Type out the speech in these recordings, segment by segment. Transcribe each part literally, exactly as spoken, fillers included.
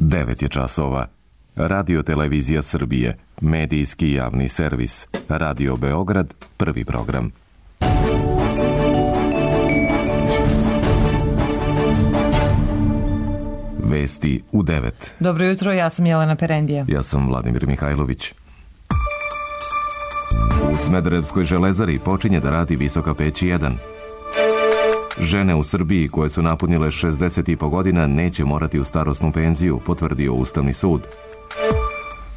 devet je časova. Radio Televizija Srbije, medijski javni servis. Radio Beograd, prvi program. Vesti u devet. Dobro jutro, ja sam Jelena Perendija. Ja sam Vladimir Mihajlović. U Smederevskoj železari počinje da radi visoka peć jedan. Žene u Srbiji koje su napunile šezdeset i po godina neće morati u starosnu penziju, potvrdio Ustavni sud.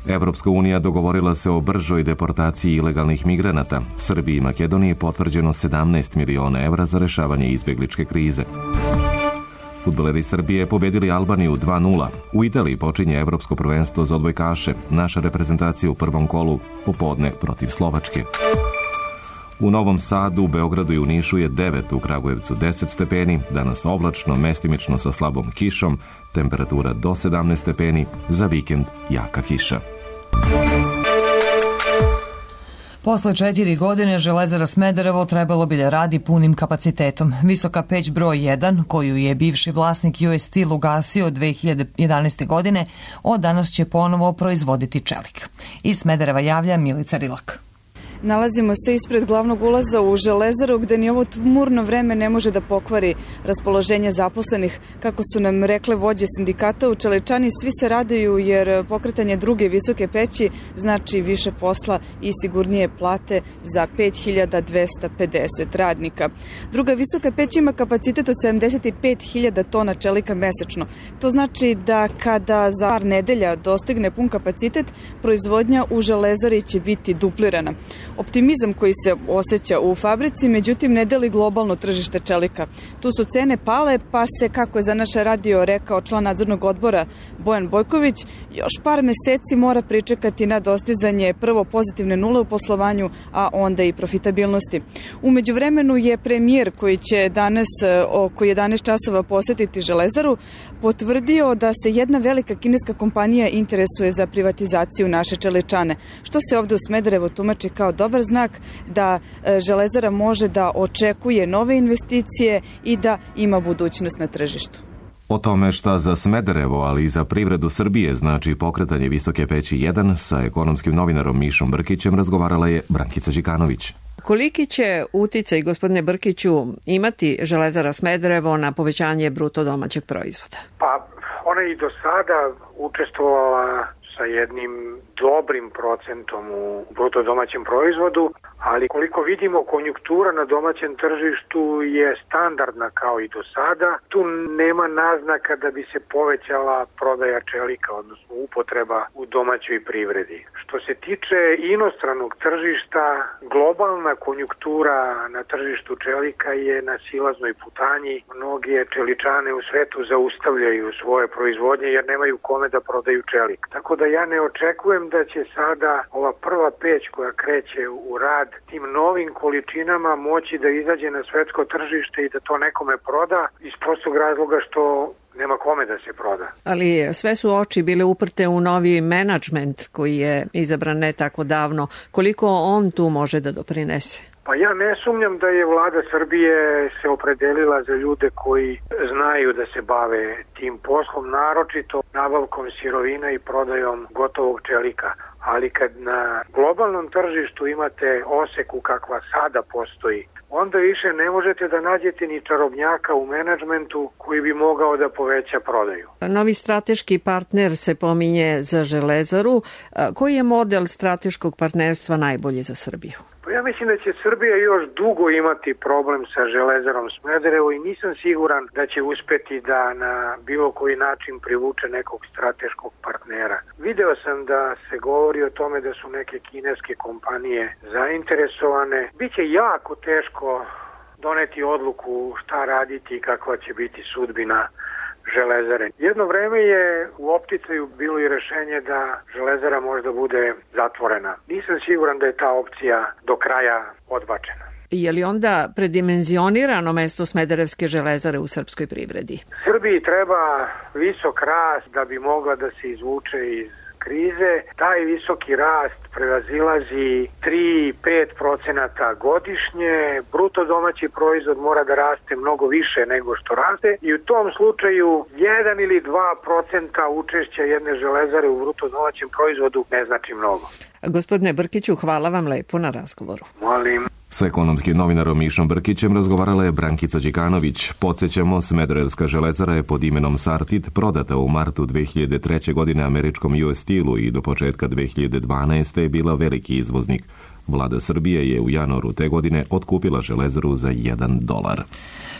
Evropska unija dogovorila se o bržoj deportaciji ilegalnih migranata. Srbiji i Makedoniji potvrđeno sedamnaest miliona evra za rešavanje izbegličke krize. Fudbaleri Srbije pobedili Albaniju dva nula. U Italiji počinje evropsko prvenstvo za odbojkaše. Naša reprezentacija u prvom kolu popodne protiv Slovačke. U Novom Sadu, u Beogradu i u Nišu je devet, u Kragujevcu deset stepeni, danas oblačno, mestimično sa slabom kišom, temperatura do sedamnaest stepeni, za vikend jaka kiša. Posle četiri godine Železara Smederevo trebalo bi da radi punim kapacitetom. Visoka peć broj jedan, koju je bivši vlasnik U S Steel ugasio dve hiljade jedanaeste. godine, od danas će ponovo proizvoditi čelik. Iz Smedereva javlja Milica Rilak. Nalazimo se ispred glavnog ulaza u Železaru, gde ni ovo tmurno vreme ne može da pokvari raspoloženje zaposlenih. Kako su nam rekle vođe sindikata u Čeličani, svi se raduju jer pokretanje druge visoke peći znači više posla i sigurnije plate za pet hiljada dvesta pedeset radnika. Druga visoka peć ima kapacitet od sedamdeset pet hiljada tona čelika mesečno. To znači da kada za par nedelja dostigne pun kapacitet, proizvodnja u Železari će biti duplirana. Optimizam koji se osjeća u fabrici, međutim, ne deli globalno tržište čelika. Tu su cene pale, pa se, kako je za naš radio rekao član nadzornog odbora Bojan Bojković, još par meseci mora pričekati na dostizanje prvo pozitivne nule u poslovanju, a onda i profitabilnosti. U međuvremenu je premijer koji će danas oko jedanaest časova posjetiti Železaru potvrdio da se jedna velika kineska kompanija interesuje za privatizaciju naše Čeličane, što se ovde u Smederevu tumači kao dobar znak da Železara može da očekuje nove investicije i da ima budućnost na tržištu. O tome šta za Smederevo, ali i za privredu Srbije znači pokretanje visoke peći jedan sa ekonomskim novinarom Mišom Brkićem razgovarala je Brankica Đikanović. Koliki će uticaj, gospodine Brkiću, imati Železara Smederevo na povećanje bruto domaćeg proizvoda? Pa ona i do sada učestvovala sa jednim dobrim procentom u bruto domaćem proizvodu, ali koliko vidimo, konjunktura na domaćem tržištu je standardna kao i do sada. Tu nema naznaka da bi se povećala prodaja čelika, odnosno upotreba u domaćoj privredi. Što se tiče inostranog tržišta, globalna konjunktura na tržištu čelika je na silaznoj putanji. Mnoge čeličane u svetu zaustavljaju svoje proizvodnje jer nemaju kome da prodaju čelik. Tako da ja ne očekujem da će sada ova prva peć koja kreće u rad tim novim količinama moći da izađe na svetsko tržište i da to nekome proda iz prostog razloga što nema kome da se proda. Ali sve su oči bile uprte u novi menadžment koji je izabran ne tako davno. Koliko on tu može da doprinese? Pa ja ne sumnjam da je vlada Srbije se opredelila za ljude koji znaju da se bave tim poslom, naročito nabavkom sirovina i prodajom gotovog čelika. Ali kad na globalnom tržištu imate oseku kakva sada postoji, onda više ne možete da nađete ni čarobnjaka u menadžmentu koji bi mogao da poveća prodaju. Novi strateški partner se pominje za Železaru. Koji je model strateškog partnerstva najbolji za Srbiju? Pa ja mislim da će Srbija još dugo imati problem sa Železarom Smederevo i nisam siguran da će uspeti da na bilo koji način privuče nekog strateškog partnera. Video sam da se govori o tome da su neke kineske kompanije zainteresovane. Biće jako teško doneti odluku šta raditi i kakva će biti sudbina Železare. Jedno vreme je u opticaju bilo i rešenje da Železara možda bude zatvorena. Nisam siguran da je ta opcija do kraja odbačena. Je li onda predimenzionirano mesto Smederevske železare u srpskoj privredi? Srbiji treba visok rast da bi mogla da se izvuče iz krize, taj visoki rast prevazilazi tri do pet procenata godišnje, bruto domaći proizvod mora da raste mnogo više nego što raste i u tom slučaju jedan ili dva procenta učešća jedne železare u bruto domaćem proizvodu ne znači mnogo. Gospodine Brkiću, hvala vam lepo na razgovoru. Molim. S ekonomskim novinarom Mišom Brkićem razgovarala je Brankica Đikanović. Podsjećamo, Smederevska železara je pod imenom Sartid prodata u martu dve hiljade treće. godine američkom U S Steel-u i do početka dve hiljade dvanaeste. je bila veliki izvoznik. Vlada Srbije je u januaru te godine otkupila železaru za jedan dolar.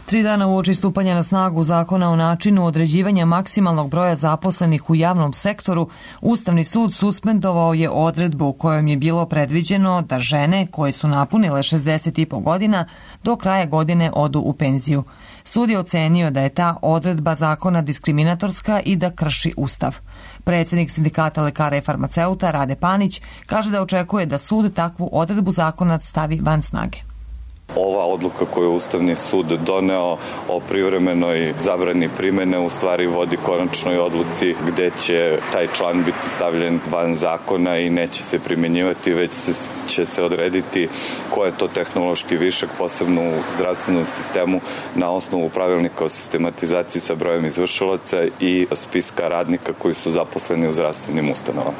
Tri dana uoči stupanja na snagu zakona o načinu određivanja maksimalnog broja zaposlenih u javnom sektoru, Ustavni sud suspendovao je odredbu kojom je bilo predviđeno da žene koje su napunile šezdeset i po godina do kraja godine odu u penziju. Sud je ocenio da je ta odredba zakona diskriminatorska i da krši Ustav. Predsjednik Sindikata lekara i farmaceuta Rade Panić kaže da očekuje da sud takvu odredbu zakona stavi van snage. Ova odluka koju je Ustavni sud doneo o privremenoj zabrani primene u stvari vodi konačnoj odluci gde će taj član biti stavljen van zakona i neće se primjenjivati, već se, će se odrediti ko je to tehnološki višak, posebno u zdravstvenom sistemu, na osnovu pravilnika o sistematizaciji sa brojem izvršilaca i spiska radnika koji su zaposleni u zdravstvenim ustanovama.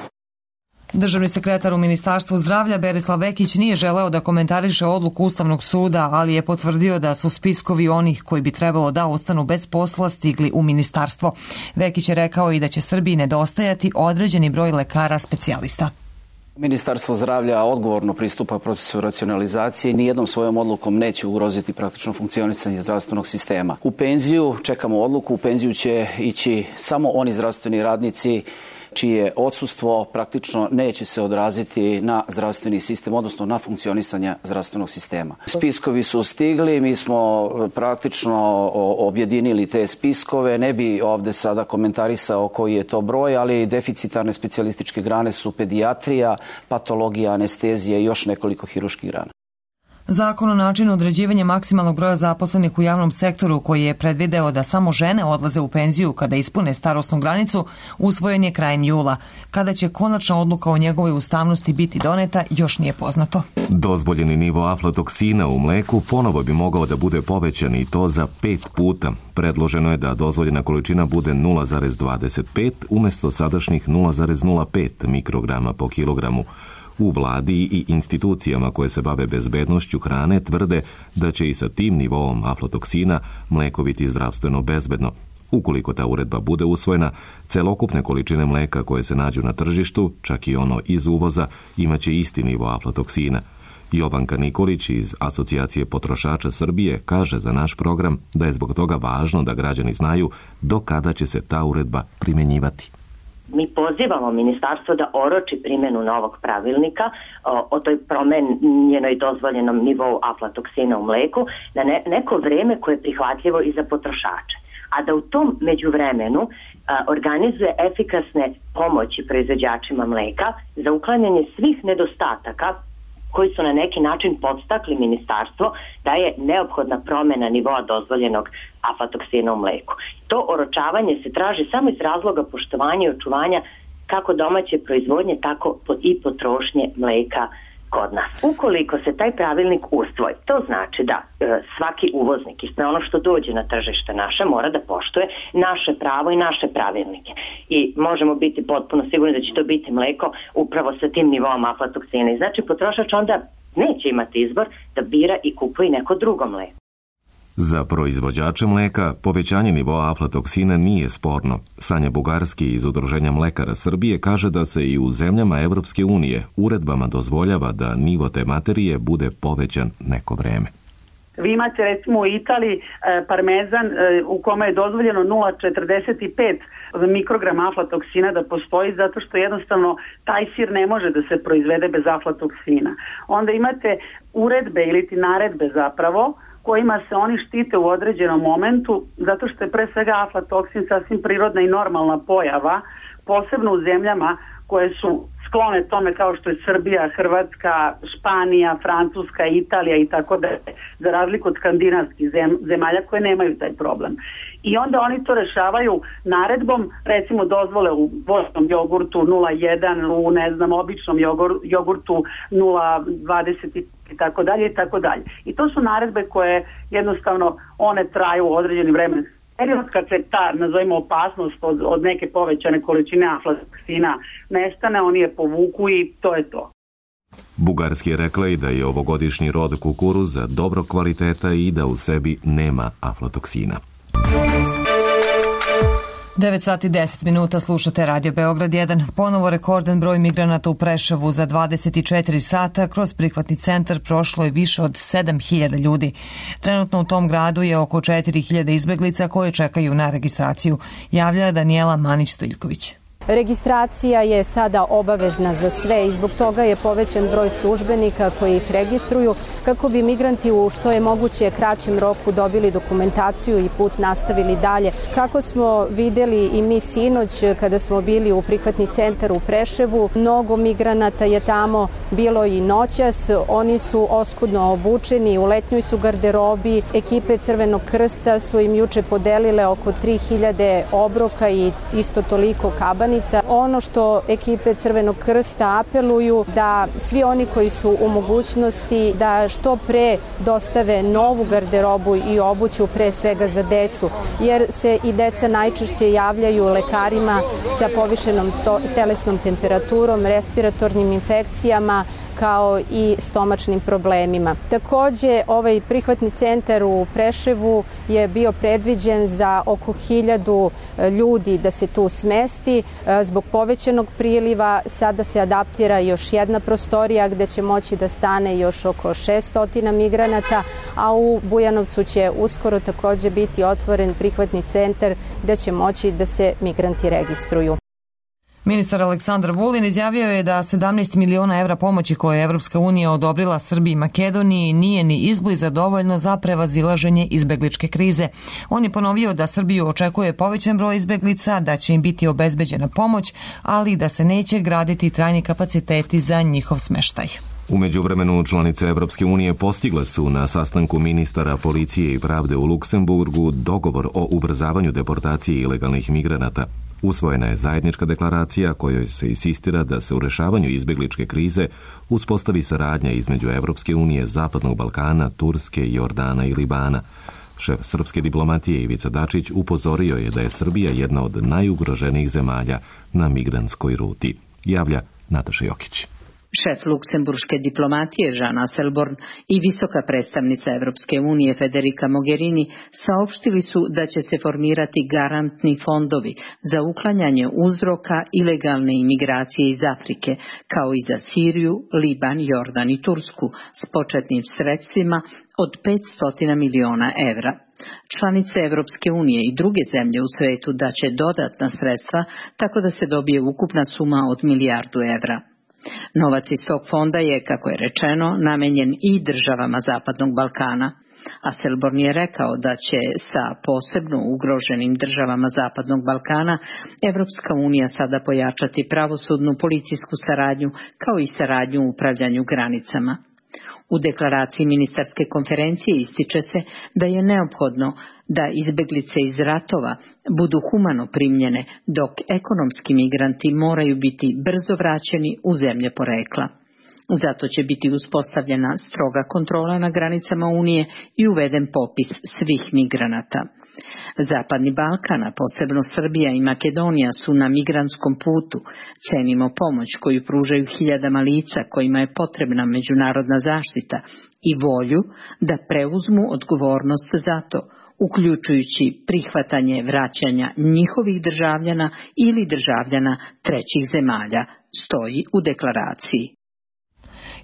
Državni sekretar u Ministarstvu zdravlja Berislav Vekić nije želeo da komentariše odluku Ustavnog suda, ali je potvrdio da su spiskovi onih koji bi trebalo da ostanu bez posla stigli u ministarstvo. Vekić je rekao i da će Srbiji nedostajati određeni broj lekara specijalista. Ministarstvo zdravlja odgovorno pristupa procesu racionalizacije i nijednom svojom odlukom neće ugroziti praktično funkcionisanje zdravstvenog sistema. U penziju čekamo odluku, u penziju će ići samo oni zdravstveni radnici čije odsustvo praktično neće se odraziti na zdravstveni sistem, odnosno na funkcionisanje zdravstvenog sistema. Spiskovi su stigli, mi smo praktično objedinili te spiskove, ne bi ovde sada komentarisao koji je to broj, ali deficitarne specijalističke grane su pedijatrija, patologija, anestezija i još nekoliko hiruških grana. Zakon o načinu određivanja maksimalnog broja zaposlenih u javnom sektoru, koji je predvideo da samo žene odlaze u penziju kada ispune starosnu granicu, usvojen je krajem jula. Kada će konačna odluka o njegovoj ustavnosti biti doneta, još nije poznato. Dozvoljeni nivo aflatoksina u mleku ponovo bi mogao da bude povećan i to za pet puta. Predloženo je da dozvoljena količina bude nula zarez dvadeset pet umjesto sadašnjih nula zarez nula pet mikrograma po kilogramu. U vladi i institucijama koje se bave bezbednošću hrane tvrde da će i sa tim nivoom aflatoksina mleko biti zdravstveno bezbedno. Ukoliko ta uredba bude usvojena, celokupne količine mleka koje se nađu na tržištu, čak i ono iz uvoza, imaće isti nivo aflatoksina. Jovanka Nikolić iz Asocijacije potrošača Srbije kaže za naš program da je zbog toga važno da građani znaju do kada će se ta uredba primjenjivati. Mi pozivamo ministarstvo da oroči primjenu novog pravilnika o, o toj promenjenoj dozvoljenom nivou aflatoksina u mleku na ne, neko vreme koje je prihvatljivo i za potrošače. A da u tom međuvremenu a, organizuje efikasne pomoći proizvođačima mleka za uklanjanje svih nedostataka koji su na neki način podstakli ministarstvo da je neophodna promjena nivoa dozvoljenog aflatoksina u mleku. To oročavanje se traži samo iz razloga poštovanja i očuvanja kako domaće proizvodnje, tako i potrošnje mleka kod nas. Ukoliko se taj pravilnik usvoji, to znači da e, svaki uvoznik i sve ono što dođe na tržište naše mora da poštuje naše pravo i naše pravilnike. I možemo biti potpuno sigurni da će to biti mleko upravo sa tim nivom aflatoksina. I znači potrošač onda neće imati izbor da bira i kupuje neko drugo mleko. Za proizvođače mleka povećanje nivoa aflatoksina nije sporno. Sanja Bugarski iz Udruženja mlekara Srbije kaže da se i u zemljama Evropske unije uredbama dozvoljava da nivo te materije bude povećan neko vreme. Vi imate recimo u Italiji parmezan u kome je dozvoljeno nula zarez četrdeset pet mikrograma aflatoksina da postoji zato što jednostavno taj sir ne može da se proizvede bez aflatoksina. Onda imate uredbe ili ti naredbe zapravo kojima se oni štite u određenom momentu, zato što je pre svega aflatoksin sasvim prirodna i normalna pojava, posebno u zemljama koje su sklone tome kao što je Srbija, Hrvatska, Španija, Francuska, Italija i tako da, za razliku od skandinavskih zem, zemalja koje nemaju taj problem. I onda oni to rešavaju naredbom, recimo dozvole u voćnom jogurtu nula jedan, u ne znam, običnom jogurtu, jogurtu nula dvadeset i tako dalje i tako dalje. I to su naredbe koje jednostavno one traju u određeni vremenski period, kad se ta, nazovimo, opasnost od, od neke povećane količine aflatoksina nestane, oni je povuku i to je to. Bugarski je rekla i da je ovogodišnji rod kukuruza dobro kvaliteta i da u sebi nema aflatoksina. devet sati deset minuta, slušate Radio Beograd jedan. Ponovo rekordan broj migranata u Preševu. Za dvadeset četiri sata kroz prihvatni centar prošlo je više od sedam hiljada ljudi. Trenutno u tom gradu je oko četiri hiljade izbeglica koje čekaju na registraciju, javlja Danijela Manić-Stojiljković. Registracija je sada obavezna za sve i zbog toga je povećan broj službenika koji ih registruju kako bi migranti u što je moguće kraćem roku dobili dokumentaciju i put nastavili dalje. Kako smo videli i mi sinoć kada smo bili u prihvatni centar u Preševu, mnogo migranata je tamo bilo i noćas. Oni su oskudno obučeni, u letnjoj su garderobi. Ekipe Crvenog krsta su im juče podelile oko tri hiljade obroka i isto toliko kabani. Ono što ekipe Crvenog krsta apeluju da svi oni koji su u mogućnosti da što pre dostave novu garderobu i obuću, pre svega za decu, jer se i deca najčešće javljaju lekarima sa povišenom telesnom temperaturom, respiratornim infekcijama, kao i stomačnim problemima. Takođe, ovaj prihvatni centar u Preševu je bio predviđen za oko hiljadu ljudi da se tu smesti. Zbog povećanog priliva sada se adaptira još jedna prostorija gde će moći da stane još oko šessto migranata, a u Bujanovcu će uskoro takođe biti otvoren prihvatni centar gde će moći da se migranti registruju. Ministar Aleksandar Vulin izjavio je da sedamnaest miliona evra pomoći koje je Evropska unija odobrila Srbiji i Makedoniji nije ni izbliza dovoljno za prevazilaženje izbegličke krize. On je ponovio da Srbiju očekuje povećan broj izbeglica, da će im biti obezbeđena pomoć, ali da se neće graditi trajni kapaciteti za njihov smeštaj. U međuvremenu članice Evropske unije postigle su na sastanku ministara policije i pravde u Luksemburgu dogovor o ubrzavanju deportacije ilegalnih migranata. Usvojena je zajednička deklaracija kojoj se insistira da se u rešavanju izbegličke krize uspostavi saradnja između Evropske unije, Zapadnog Balkana, Turske, Jordana i Libana. Šef srpske diplomatije Ivica Dačić upozorio je da je Srbija jedna od najugroženijih zemalja na migrantskoj ruti. Javlja Nataša Jokić. Šef luksemburške diplomatije Jean Asselborn i visoka predstavnica Evropske unije Federica Mogherini saopštili su da će se formirati garantni fondovi za uklanjanje uzroka ilegalne imigracije iz Afrike, kao i za Siriju, Liban, Jordan i Tursku s početnim sredstvima od petsto miliona evra. Članice Evropske unije i druge zemlje u svetu daće dodatna sredstva tako da se dobije ukupna suma od milijardu evra. Novac iz tog fonda je, kako je rečeno, namenjen i državama Zapadnog Balkana. Asselborn je rekao da će sa posebno ugroženim državama Zapadnog Balkana Evropska unija sada pojačati pravosudnu policijsku saradnju kao i saradnju u upravljanju granicama. U deklaraciji ministarske konferencije ističe se da je neophodno da izbeglice iz ratova budu humano primljene, dok ekonomski migranti moraju biti brzo vraćeni u zemlje porekla. Zato će biti uspostavljena stroga kontrola na granicama Unije i uveden popis svih migranata. Zapadni Balkan, a posebno Srbija i Makedonija, su na migrantskom putu. Cenimo pomoć koju pružaju hiljadama lica kojima je potrebna međunarodna zaštita i volju da preuzmu odgovornost za to, uključujući prihvatanje vraćanja njihovih državljana ili državljana trećih zemalja, stoji u deklaraciji.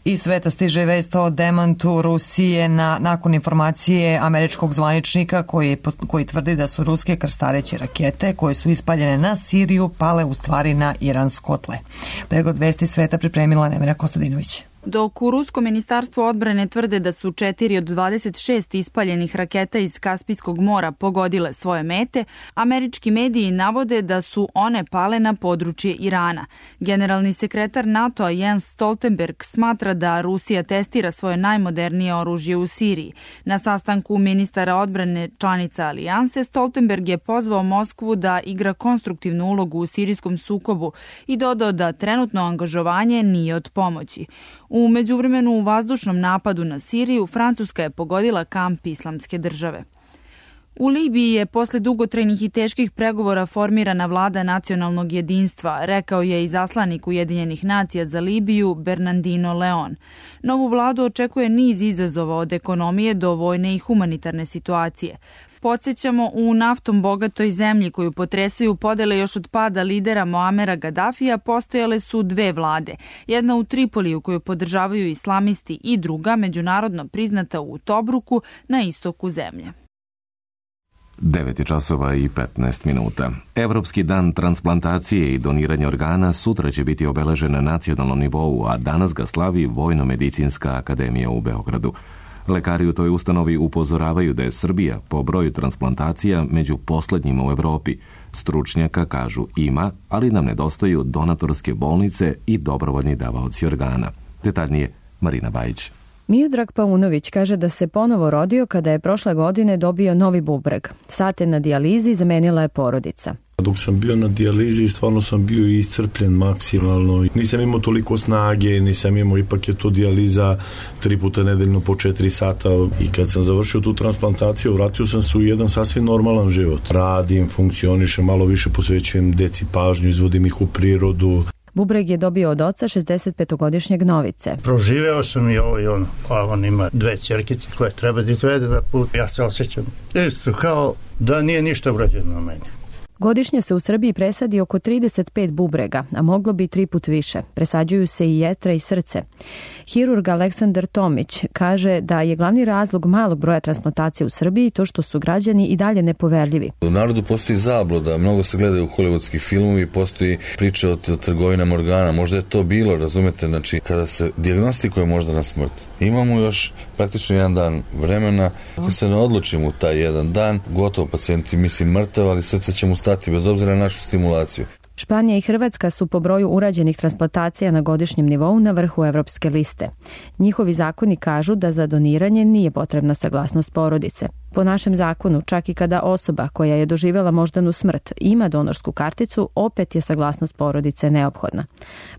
Iz sveta stiže vest o demantu Rusije na, nakon informacije američkog zvaničnika koji, koji tvrdi da su ruske krstareće rakete koje su ispaljene na Siriju pale u stvari na iransko tle. Pregled vesti sveta pripremila Nemanja Kostadinović. Dok u Rusko ministarstvo odbrane tvrde da su četiri od dvadeset šest ispaljenih raketa iz Kaspijskog mora pogodile svoje mete, američki mediji navode da su one pale na područje Irana. Generalni sekretar NATO-a Jens Stoltenberg smatra da Rusija testira svoje najmodernije oružje u Siriji. Na sastanku ministara odbrane članica alijanse, Stoltenberg je pozvao Moskvu da igra konstruktivnu ulogu u sirijskom sukobu i dodao da trenutno angažovanje nije od pomoći. U međuvremenu u vazdušnom napadu na Siriju Francuska je pogodila kamp Islamske države. U Libiji je posle dugotrajnih i teških pregovora formirana vlada nacionalnog jedinstva, rekao je izaslanik Ujedinjenih nacija za Libiju Bernardino Leon. Novu vladu očekuje niz izazova od ekonomije do vojne i humanitarne situacije. Podsjećamo, u naftom bogatoj zemlji koju potresaju podele još od pada lidera Moamera Gadafija postojale su dve vlade. Jedna u Tripoliju koju podržavaju islamisti i druga međunarodno priznata u Tobruku na istoku zemlje. devet je časova i petnaest minuta. Evropski dan transplantacije i doniranja organa sutra će biti obeležen na nacionalnom nivou, a danas ga slavi Vojno-medicinska akademija u Beogradu. Lekari u toj ustanovi upozoravaju da je Srbija po broju transplantacija među poslednjima u Evropi. Stručnjaka kažu ima, ali nam nedostaju donatorske bolnice i dobrovoljni davaoci organa. Detaljnije Marina Bajić. Miodrag Paunović kaže da se ponovo rodio kada je prošle godine dobio novi bubreg. Sate na dijalizi zamenila je porodica. Dok sam bio na dijalizi, stvarno sam bio iscrpljen maksimalno. Nisam imao toliko snage, nisam imao, ipak je to dijaliza tri puta nedeljno po četiri sata. I kad sam završio tu transplantaciju, vratio sam se u jedan sasvim normalan život. Radim, funkcionišem, malo više posvećujem deci pažnju, izvodim ih u prirodu. Bubreg je dobio od oca šezdesetpetogodišnjeg Novice. Proživeo sam i ovo i ono, a on ima dve ćerkice koje treba da izvede na put. Ja se osjećam isto kao da nije ništa urađeno na meni. Godišnje se u Srbiji presadi oko trideset pet bubrega, a moglo bi tri put više. Presađuju se i jetra i srce. Hirurg Aleksandar Tomić kaže da je glavni razlog malog broja transplantacija u Srbiji to što su građani i dalje nepoverljivi. U narodu postoji zabluda, mnogo se gledaju hollywoodski filmovi, postoji priča o trgovinama organa. Možda je to bilo, razumete, znači kada se dijagnostikuje možda na smrt. Imamo još praktično jedan dan vremena. Ako se ne odlučimo u taj jedan dan, gotovo pacijenti misli mrtav, ali srce će mu stati bez obzira na našu stimulaciju. Španija i Hrvatska su po broju urađenih transplantacija na godišnjem nivou na vrhu evropske liste. Njihovi zakoni kažu da za doniranje nije potrebna saglasnost porodice. Po našem zakonu, čak i kada osoba koja je doživjela moždanu smrt ima donorsku karticu, opet je saglasnost porodice neophodna.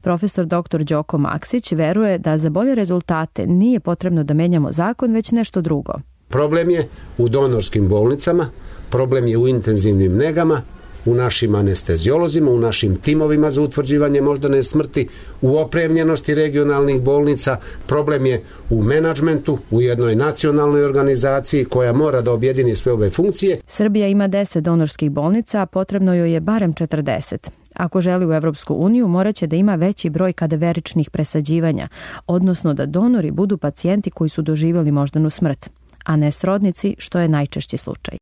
Profesor doktor Đoko Maksić veruje da za bolje rezultate nije potrebno da menjamo zakon, već nešto drugo. Problem je u donorskim bolnicama, problem je u intenzivnim negama, u našim anesteziolozima, u našim timovima za utvrđivanje moždane smrti, u opremljenosti regionalnih bolnica, problem je u menadžmentu, u jednoj nacionalnoj organizaciji koja mora da objedini sve ove funkcije. Srbija ima deset donorskih bolnica, a potrebno joj je barem četrdeset. Ako želi u Evropsku uniju, moraće da ima veći broj kadaveričnih presađivanja, odnosno da donori budu pacijenti koji su doživjeli moždanu smrt, a ne srodnici, što je najčešći slučaj.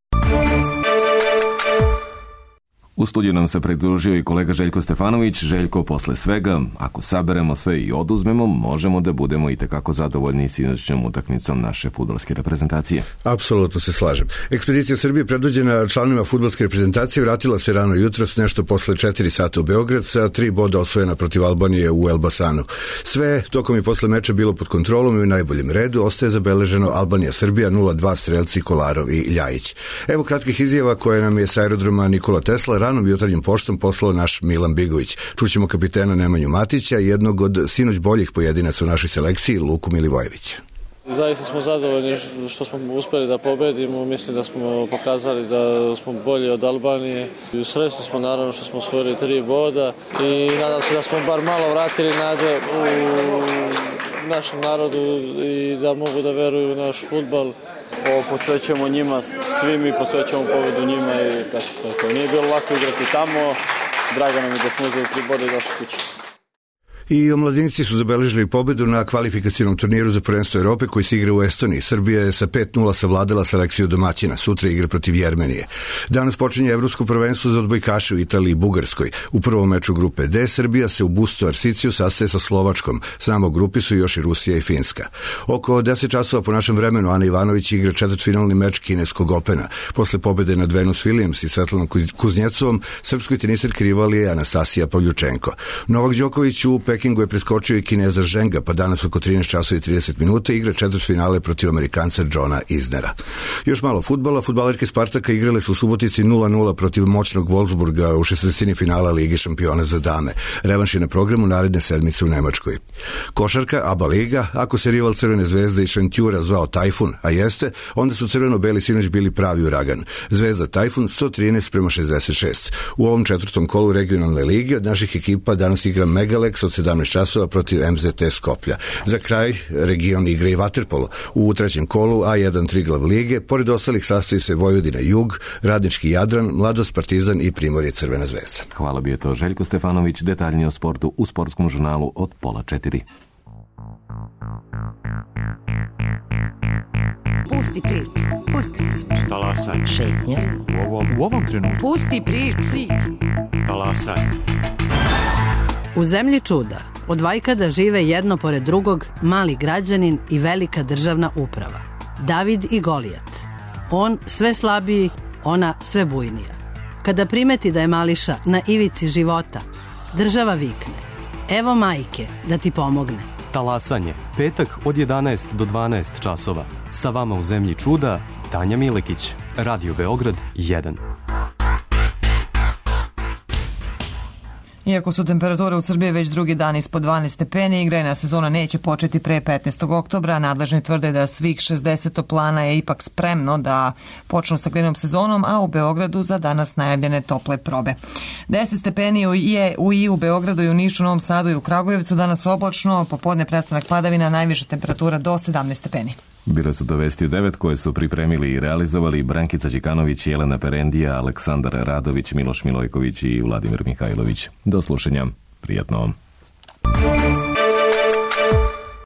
U studiju nam se pridružio i kolega Željko Stefanović. Željko, posle svega, ako saberemo sve i oduzmemo, možemo da budemo i tekako zadovoljni sinoćnom utakmicom naše fudbalske reprezentacije. Apsolutno se slažem. Ekspedicija Srbije predvođena članovima fudbalske reprezentacije vratila se rano jutros, nešto posle četiri sata u Beograd, sa tri boda osvojena protiv Albanije u Elbasanu. Sve tokom i posle meča bilo pod kontrolom i u najboljem redu. Ostaje zabeleženo Albanija-Srbija nula dva, strelci Kolarov i Ljajić. Evo kratkih izjava koje nam je s aerodroma Nikola Tesla ranom jutarnjim poštom poslao naš Milan Bigović. Čućemo kapitena Nemanju Matića i jednog od sinoć boljih pojedinaca u našoj selekciji, Luku Milivojevića. Zaista smo zadovoljni što smo uspeli da pobedimo. Mislim da smo pokazali da smo bolji od Albanije. Srećni smo naravno što smo osvojili tri boda i nadam se da smo bar malo vratili nade u našem narodu i da mogu da veruju u naš fudbal. Ovo posvećujemo njima, svi mi posvećujemo pobedu njima i tako tako. Nije bilo lako igrati tamo, drago nam je da smo uzeli tri boda i došli kući. I omladinci su zabeležili pobedu na kvalifikacionom turniru za prvenstvo Evrope koji se igra u Estoniji. Srbija je sa pet nula savladala selekciju domaćina. Sutra igra protiv Jermenije. Danas počinje evropsko prvenstvo za odbojkaše u Italiji i Bugarskoj. U prvom meču grupe D Srbija se u Busto Arsiciju sastaje sa Slovačkom. Samo u grupi su još i Rusija i Finska. Oko deset časova po našem vremenu Ana Ivanović igra četvrtfinalni meč kineskog Opena. Posle pobede nad Venus Williams i Svetlanom Kuznjecovom, srpskoj teniserki rival je Anastasija Pavljučenko. Novak Đoković u Pekingu je preskočio i Kineza Ženga, pa danas oko trinaest časova i trideset minuta igra četvrtfinale protiv Amerikanca Johna Isnera. Još malo fudbala, fudbalerke Spartaka igrale su u Subotici nula nula protiv moćnog Wolfsburga u šesnaestini finala Lige šampiona za dame. Revanš je na programu naredne sedmice u Nemačkoj. Košarka, ABA liga, ako se rival Crvene zvezde i Šentjura zvao Tajfun, a jeste, onda su crveno-beli sinoć bili pravi uragan. Zvezda Tajfun sto trinaest prema šezdeset šest. U ovom četvrtom kolu regionalne lige od naših ekipa danas igra Megalex od sedamnaest časova protiv M Z T Skoplja. Za kraj region igra i vaterpolo. U trećem kolu A jedan Triglav lige, pored ostalih sastoji se Vojvodina Jug, Radnički Jadran, Mladost Partizan i Primorje Crvena zvezda. Hvala, bio je to Željko Stefanović, detaljnije o sportu u sportskom žurnalu od pola četiri. Pusti priču, pusti priču. Talasaj. Šetnja. U ovom, u ovom trenutku. Pusti priču. Talasaj. U zemlji čuda, od vajkada žive jedno pored drugog mali građanin i velika državna uprava. David i Golijat. On sve slabiji, ona sve bujnija. Kada primeti da je mališa na ivici života, država vikne: evo majke da ti pomogne. Talasanje, petak od jedanaest do dvanaest časova. Sa vama u zemlji čuda, Tanja Milekić, Radio Beograd jedan. Iako su temperature u Srbiji već drugi dan ispod dvanaest stepeni, igrajna sezona neće početi pre petnaestog oktobra. Nadležni tvrde da svih šezdeset toplana je ipak spremno da počnu sa grejnom sezonom, a u Beogradu za danas najavljene tople probe. deset stepeni je u i u Beogradu i u Nišu, Novom Sadu i u Kragujevcu. Danas oblačno, popodne prestanak padavina, najviša temperatura do sedamnaest stepeni. Bile su to vesti u devet koje su pripremili i realizovali Brankica Đikanović, Jelena Perendija, Aleksandar Radović, Miloš Milojković i Vladimir Mihajlović. Do slušanja. Prijatno.